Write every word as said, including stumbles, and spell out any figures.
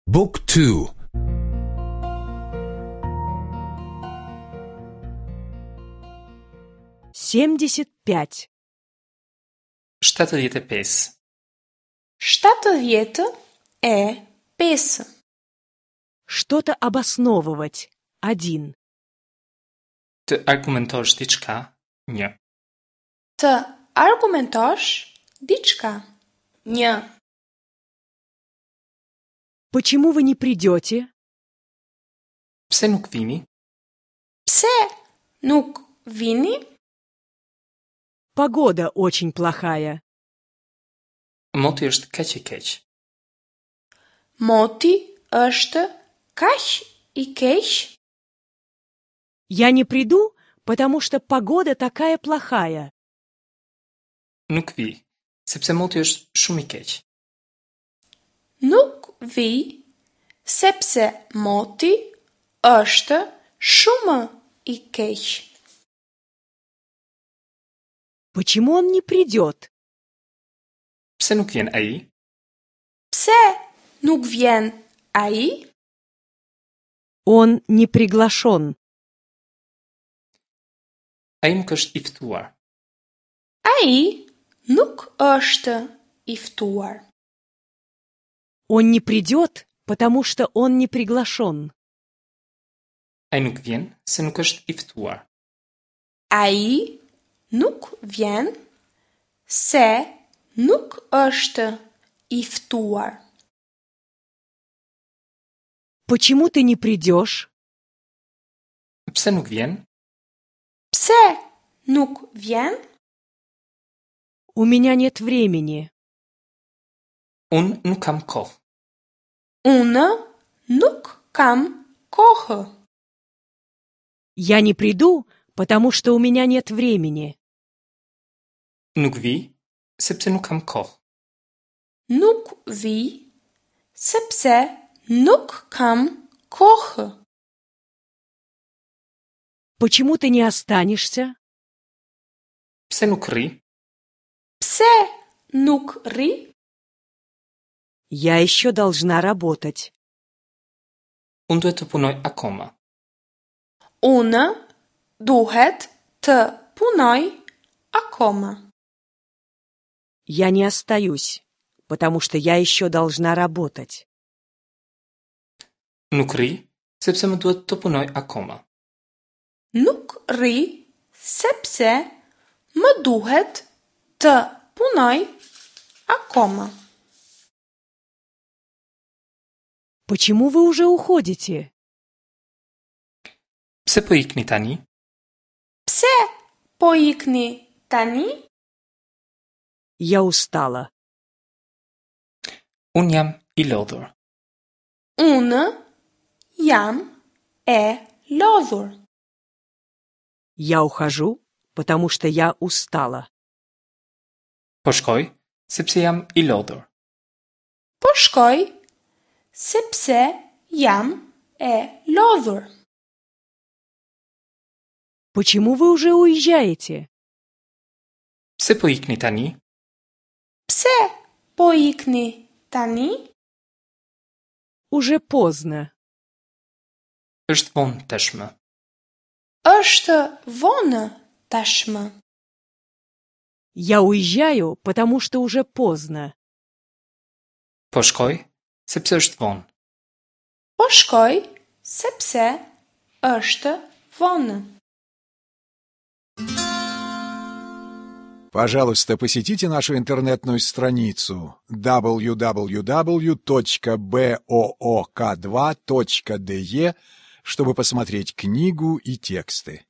Book two. Семьдесят пять. Shtatëdhjetë e pesë. Shtatëdhjetë e pesë. Что-то обосновывать. Один. Të argumentosh diçka, një. Të argumentosh diçka. Një. Почему вы не придете? Pse nuk vini? Pse nuk vini? Погода очень плохая. Moti është kaq i keq. Moti është kaq i keq. Я не приду, потому что погода такая плохая. Nuk vi, sepse moti është shumë i keq. Nuk vi, sepse moti është shumë i keq. Почему он не придет? Pse nuk vjen ai? Pse nuk vjen ai? Он не приглашен. Ai nuk është i ftuar. Ai nuk është i ftuar. Он не придет, потому что он не приглашен. Ai nuk vjen se nuk është i ftuar. Ai nuk vjen se nuk është i ftuar. Почему ты не придешь? Pse nuk vjen? Pse nuk vjen? У меня нет времени. Unë nuk kam kohë. Unë nuk kam kohë. Я не приду, потому что у меня нет времени. Nuk vi, sepse nuk kam kohë. Nuk vi, sepse nuk kam kohë. Почему ты не останешься? Pse nuk rri? Pse nuk rri? Я еще должна работать. Unë duhet të punoj akoma. Unë duhet të punoj akoma. Я не остаюсь, потому что я еще должна работать. Nuk rri, sepse më duhet të punoj akoma. Nuk rri, sepse më duhet të punoj akoma. Почему вы уже уходите? Pse po ikni tani? Pse po ikni tani? Я устала. Unë jam i lodhur. Unë jam e lodhur. Я ухожу, потому что я устала. Po shkoj, sepse jam i lodhur. Po shkoj, sepse jam e lodhur. Почему вы уже уезжаете? Pse po ikni tani? Pse po ikni tani? Уже поздно. Është vonë tashmë. Është vonë tashmë. Я уезжаю, потому что уже поздно. Po shkoj, sepse është vonë. Po shkoj, sepse është vonë. Пожалуйста, посетите нашу интернетную страницу дабл ю дабл ю дабл ю точка бэ о о ка два точка дэ е, чтобы посмотреть книгу и тексты.